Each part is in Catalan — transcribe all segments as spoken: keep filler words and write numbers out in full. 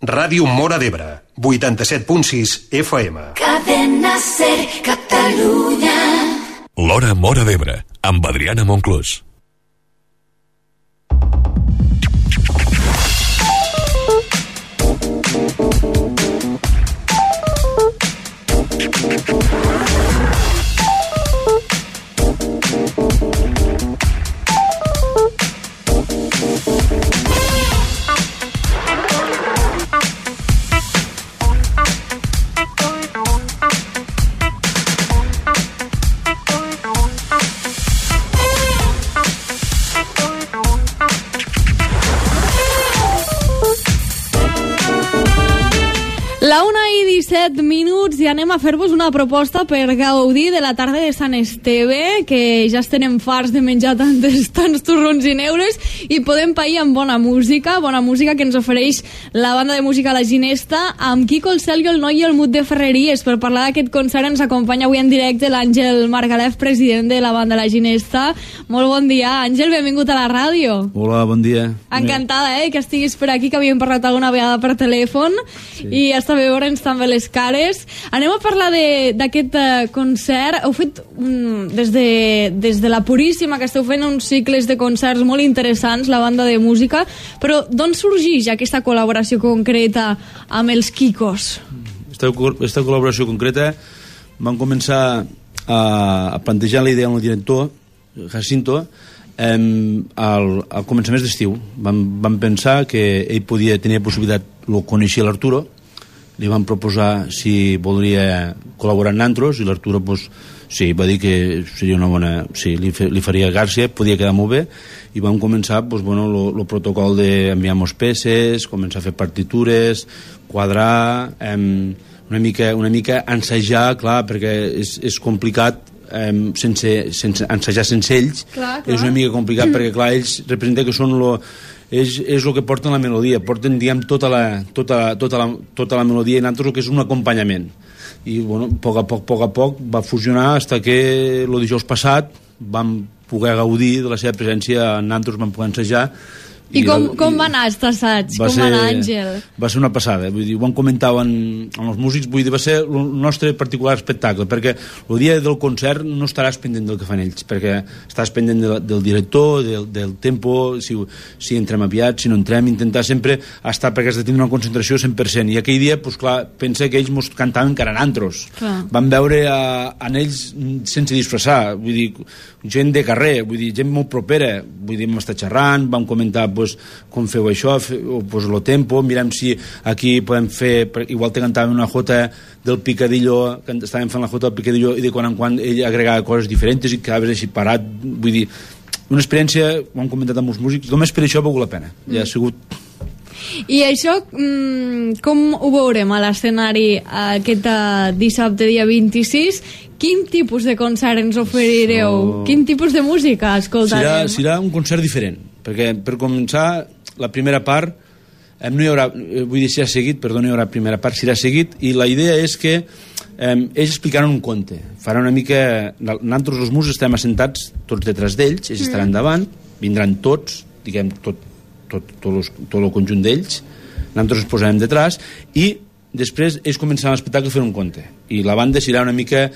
Ràdio Móra d'Ebre, vuitanta-set punt sis F M. Cadena Ser, Catalunya. L'Hora Móra d'Ebre, amb Adriana Monclús. La una i disset minuts i anem a fer-vos una proposta per gaudir de la tarda de Sant Esteve, que ja estem farts de menjar tantes, tants torrons i neures, i podem pair amb bona música, bona música que ens ofereix la banda de música La Ginesta, amb Quico, el Celio, el Noi i el Mut de Ferreries. Per parlar d'aquest concert ens acompanya avui en directe l'Àngel Margalef, president de la banda La Ginesta. Molt bon dia, Àngel, benvingut a la ràdio. Hola, bon dia. Encantada, eh, que estiguis per aquí, que havíem parlat alguna vegada per telèfon, sí. I està bé veure'ns també les cares. Anem a parlar d'aquest uh, concert. Heu fet, um, des, de, des de la Puríssima, que esteu fent uns cicles de concerts molt interessants, la banda de música, però d'on sorgeix aquesta col·laboració concreta amb els Quicos? Esta, esta col·laboració concreta van començar a, a plantejar la idea amb el director, Jacinto, eh, al, al començaments d'estiu. Vam, vam pensar que ell podia tenir possibilitat, lo coneixia l'Arturo, li van proposar si voldria col·laborar amb nosaltres, i l'Arturo pues, sí, va dir que seria una bona... Sí, li, li faria gràcia, podia quedar molt bé, i vam començar pues, bueno, el protocol d'enviar-nos peces, començar a fer partitures, quadrar, eh, una, mica, una mica ensajar, clar, perquè és, és complicat eh, sense, sense ensajar sense ells, clar, clar. És una mica complicat mm. perquè clar, ells representen que són lo... És, és el que porten la melodia, porten, diguem, tota la, tota, tota la, tota la melodia, i nosaltres el que és un acompanyament. I, bueno, a poc a poc, poc a poc va fusionar fins que el dijous passat vam poder gaudir de la seva presència, nosaltres vam poder ensejar. I, I com, la, com va anar aquest assaig? Va com ser, va anar, Àngel? Va ser una passada, vull dir, ho han comentat amb, amb els músics, vull dir, va ser el nostre particular espectacle, perquè el dia del concert no estaràs pendent del que fan ells, perquè estàs pendent de, del director, del, del tempo, si, si entrem aviat, si no entrem, intentar sempre estar, perquè has de tenir una concentració cent per cent, i aquell dia, doncs clar, pensa que ells mos cantaven encara nantros. Vam veure a, a ells sense disfressar, vull dir, gent de carrer, vull dir, gent molt propera, vull dir, hem estat xerrant, vam comentar pues, com feu això, o pues, lo tempo, mirem si aquí podem fer, igual te cantàvem una jota del Picadillo, que estàvem fent la jota del Picadillo, i de quan en quan ell agregava coses diferents i quedaves així parat, vull dir, una experiència, ho han comentat amb els músics, només per això ha valgut la pena, mm. ja ha sigut... I això, com ho veurem a l'escenari aquest dissabte, dia vint-i-sis? Quin tipus de concert ens oferireu? So... Quin tipus de música escoltarem? Serà, serà un concert diferent, perquè per començar, la primera part, no hi haurà, vull dir, si ha seguit, perdó, no hi haurà primera part, serà seguit, i la idea és que eh, ells explicaran un conte, faran una mica... Nosaltres, els músics, estem assentats tots detrás d'ells, ells estaran mm. davant, vindran tots, diguem, tot, tot, tot, los, tot el conjunt d'ells, nosaltres ens posarem detrás, i després ells començaran l'espectacle fent un conte, i la banda serà una mica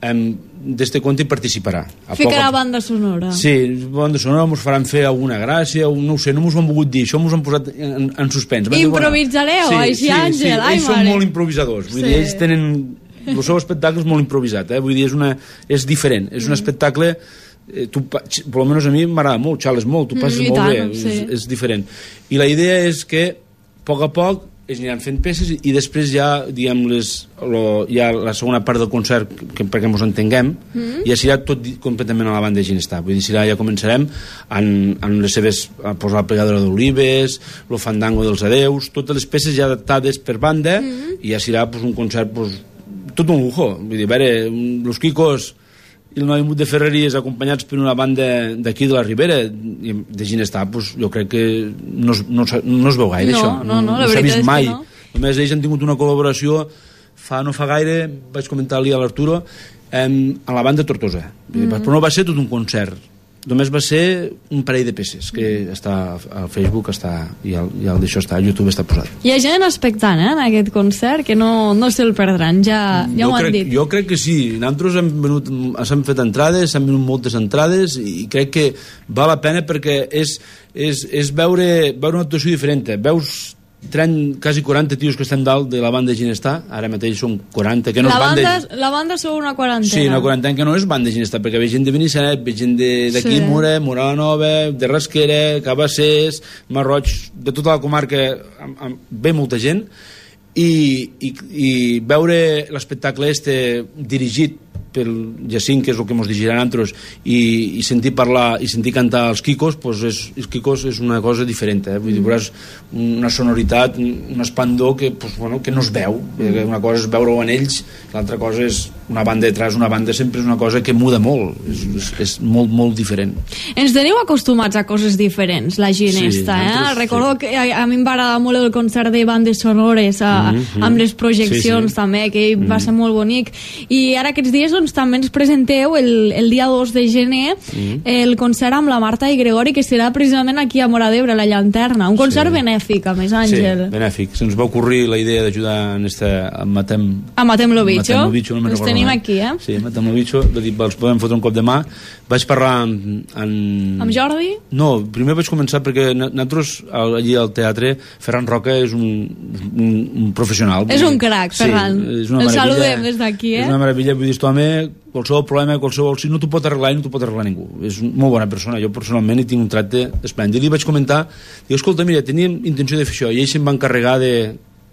d'este conte i participarà. Ficarà banda sonora. Sí, banda sonora, ens faran fer alguna gràcia, no ho sé, no m'ho han volgut dir, això m'ho han posat en, en suspens. Improvisareu, sí, així, sí, Àngel, sí, ai, ells mare. són molt improvisadors, vull sí. dir, ells tenen... El seu espectacle és molt improvisat, eh? Vull dir, és, una, és diferent, és un mm. espectacle... Eh, tu, per almenys a mi m'agrada molt, xales molt, tu passes mm, molt tant, bé, sí. és, és diferent. I la idea és que, a poc a poc, es aniran fent peces i després ja, diguem, les, lo, ja la segona part del concert, que, perquè ens entenguem, mm. ja serà tot completament a la banda de Ginesta. Vull dir, serà, ja començarem amb les seves, a posar la plegadora d'olives, el fandango dels adeus, totes les peces ja adaptades per banda, mm. i ja serà pues, un concert, pues, tot un lujo. Vull dir, a veure, los Quicos i el Noi Mut de Ferreries acompanyats per una banda d'aquí de la Ribera de Ginestà, pues, jo crec que no es, no, no es veu gaire no, això no, no, no s'ha vist mai no. Només ells han tingut una col·laboració fa no fa gaire, vaig comentar-li a l'Arturo eh, a la banda Tortosa, mm-hmm. però no va ser tot un concert només va ser un parell de peces que està al Facebook està, i el, i el d'això està, a YouTube està posat. Hi ha gent expectant eh, en aquest concert que no, no se'l perdran, ja, ja ho han crec, dit. Jo crec que sí, nosaltres hem venut, s'han fet entrades, s'han venut moltes entrades i crec que val la pena perquè és, és, és veure, veure una actuació diferent. Veus trenta, quasi quaranta tios que estem dalt de la banda Ginestar, ara mateix són quaranta, que no la, és banda... banda, la banda sou una quarantena. Sí, una quarantena que no és banda Ginestar, perquè ve gent de Benissanet, ve gent d'aquí, sí. Mura, Mora la Nova, de Rasquera, Cabassers, Marroig, de tota la comarca, amb, amb, ve molta gent, i, i, i veure l'espectacle este dirigit pel Jacint, que és el que ens dirigirà a nosaltres, i, i sentir parlar i sentir cantar els Quicos, pues és, els Quicos és una cosa diferent, eh? Vull dir, veuràs una sonoritat, un espandor que, pues, bueno, que no es veu. Una cosa és veure-ho en ells, l'altra cosa és una banda detrás, una banda sempre és una cosa que muda molt, és, és, és molt, molt diferent. Ens teniu acostumats a coses diferents, la Ginesta, sí, eh? Recordo sí. que a, a mi em va agradar molt el concert de bandes sonores a, mm-hmm. amb les projeccions sí, sí. també, que mm-hmm. va ser molt bonic. I ara aquests dies doncs, també ens presenteu el, el dia dos de gener mm-hmm. el concert amb la Marta i Gregori, que serà precisament aquí a Móra d'Ebre, a la Llanterna, un concert sí. benèfic, a més, Àngel. Sí, benèfic. Se'ns va ocorrir la idea d'ajudar en esta, a Matem... A Matem lo Bicho. Matem lo Bicho, no ens tenim aquí, eh? Sí, Matem lo Bicho, els podem fotre un cop de mà. Vaig parlar amb... Amb, amb Jordi? No, primer vaig començar perquè nosaltres, allí al teatre, Ferran Roca és un, un, un professional. És un crac, Ferran. Sí, és una el meravella. saludem des d'aquí, eh? És una meravella, vull dir, aquest home, qualsevol problema, qualsevol... Si no t'ho pot arreglar i no t'ho pot arreglar ningú. És una molt bona persona. Jo personalment hi tinc un tracte esplèndid. I li vaig comentar, dic, escolta, mira, teníem intenció de fer això, i ell se'm va encarregar de,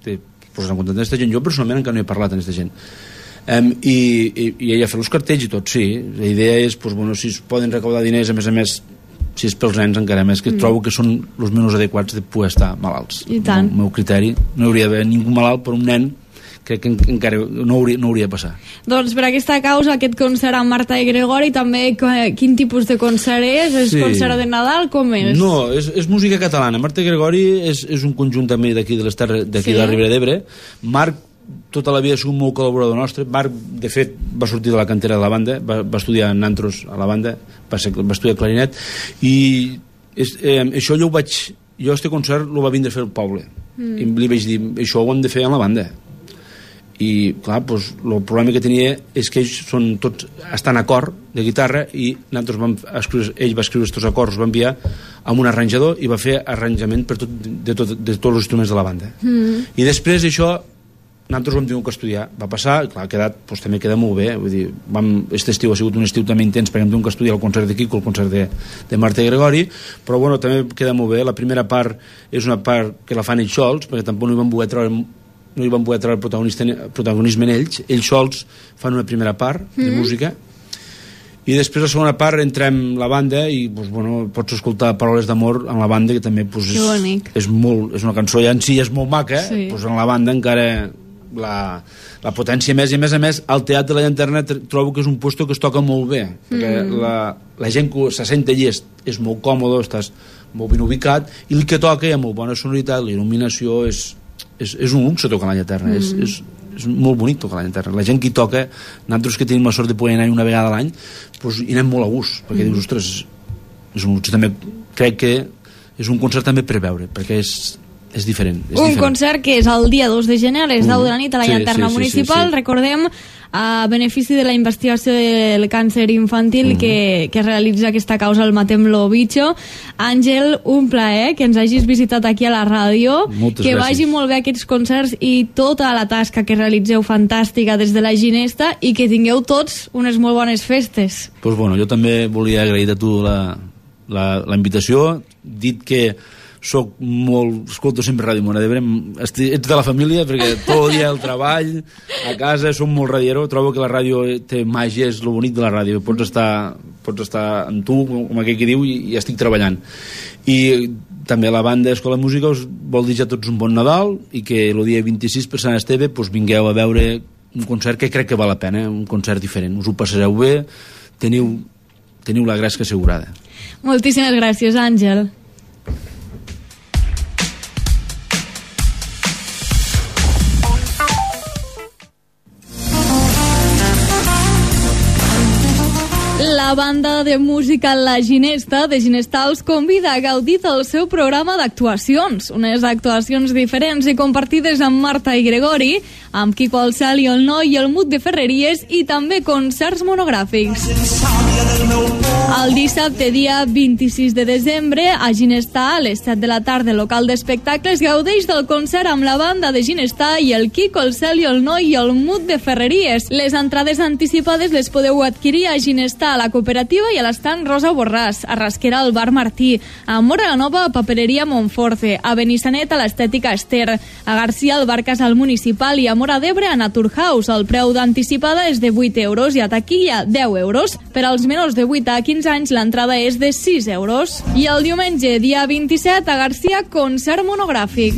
de posar en contacte amb aquesta gent. Jo personalment encara no he parlat amb aquesta gent. Um, i, i, i ella fa els cartells i tot, sí. La idea és, pues, bueno, si es poden recaudar diners, a més a més, si és pels nens encara més, que mm. trobo que són els menys adequats de poder estar malalts. I tant. El meu criteri, no hauria d'haver ningú malalt per un nen, crec que encara no hauria, no hauria de passar. Doncs per aquesta causa, aquest concert amb Marta i Gregori, també quin tipus de concert és? És sí. concert de Nadal? Com és? No, és, és música catalana. Marta i Gregori és, és un conjunt també d'aquí de les terres, d'aquí sí. de la Ribera d'Ebre. Marc tota la vida ha sigut molt col·laborador nostre. Marc, de fet, va sortir de la cantera de la banda, va, va estudiar en Nantros a la banda, va, ser, va estudiar clarinet, i és, eh, això jo ho vaig... Jo, este concert, lo va vindre a fer el poble. Mm. I li vaig dir, això ho hem de fer en la banda. I, clar, doncs, el problema que tenia és que ells són tots, estan a cor de guitarra i nosaltres vam escriure, ell va escriure aquests acords, va enviar amb un arranjador i va fer arranjament per tot, de, tot, de tots els instruments de la banda. Mm. I després això nosaltres ho hem tingut que estudiar. Va passar, clar, ha quedat, doncs, també queda molt bé. Vull dir, vam, aquest estiu ha sigut un estiu també intens perquè hem tingut que estudiar el concert de Quico, el concert de, de Marta i Gregori, però bueno, també queda molt bé. La primera part és una part que la fan ells sols, perquè tampoc no hi van poder treure no hi van poder treure protagonisme en ells. Ells sols fan una primera part mm. de música i després la segona part entrem la banda i pues, bueno, pots escoltar Paraules d'amor en la banda, que també pues, és, és, molt, és una cançó ja en si és molt maca, sí. pues, en la banda encara la, la potència més, i a més a més al Teatre de la Llanterna trobo que és un puesto que es toca molt bé, perquè mm. la, la gent que se sent allí és, és molt còmode, estàs molt ben ubicat, i el que toca hi ha molt bona sonoritat, la il·luminació és És, és un luxe tocar a la Llanterna, mm. és, és, és molt bonic tocar a la Llanterna. La gent que hi toca, nosaltres que tenim la sort de poder anar una vegada a l'any, doncs hi anem molt a gust, perquè mm. dius, ostres, és un luxe. També crec que és un concert també per veure, perquè és, és diferent. És un diferent. Concert que és el dia dos de gener, a les deu de la nit a la sí, Llanterna sí, Municipal, sí, sí, sí. Recordem, a benefici de la investigació del càncer infantil mm-hmm. que, que realitza aquesta causa el Matem lo Bicho. Àngel, un plaer que ens hagis visitat aquí a la ràdio. Moltes que gràcies. vagi molt bé aquests concerts i tota la tasca que realitzeu fantàstica des de la Ginesta, i que tingueu tots unes molt bones festes. Pues bueno, jo també volia agrair a tu la, la, la invitació, dit que soc molt... escolto sempre Ràdio Móra d'Ebre, ets de la família perquè tot el dia el treball, a casa som molt radiero, trobo que la ràdio té màgia, és el bonic de la ràdio, pots estar, pots estar amb tu, com aquell que diu, i, i estic treballant. I també la banda Escola de Música us vol dir ja tots un bon Nadal, i que el dia vint-i-sis per Sant Esteve pues, vingueu a veure un concert que crec que val la pena, un concert diferent, us ho passareu bé, teniu, teniu la gresca assegurada. Moltíssimes gràcies, Àngel. La La banda de música La Ginesta de Ginestar els convida a gaudir del seu programa d'actuacions. Unes actuacions diferents i compartides amb Marta i Gregori, amb Quico el Cel i el Noi i el Mut de Ferreries, i també concerts monogràfics. El dissabte, dia vint-i-sis de desembre, a Ginestar, a les set de la tarda, local d'espectacles, gaudeix del concert amb la banda de Ginestar i el Quico, el Cel i el Noi i el Mut de Ferreries. Les entrades anticipades les podeu adquirir a Ginestar, a la cooperativa i a l'estant Rosa Borràs, a Rasquera al Bar Martí, a Móra la Nova, a Papereria Montforte, a Benissanet, a l'Estètica Ester, a Garcia al Bar Casal Municipal i a Móra d'Ebre a Naturhaus. El preu d'anticipada és de vuit euros i a taquilla deu euros. Per als menors de vuit a quinze anys l'entrada és de sis euros. I el diumenge, dia vint-i-set, a Garcia, concert monogràfic.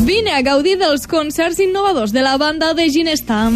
Vine a gaudir dels concerts innovadors de la banda de Ginestar.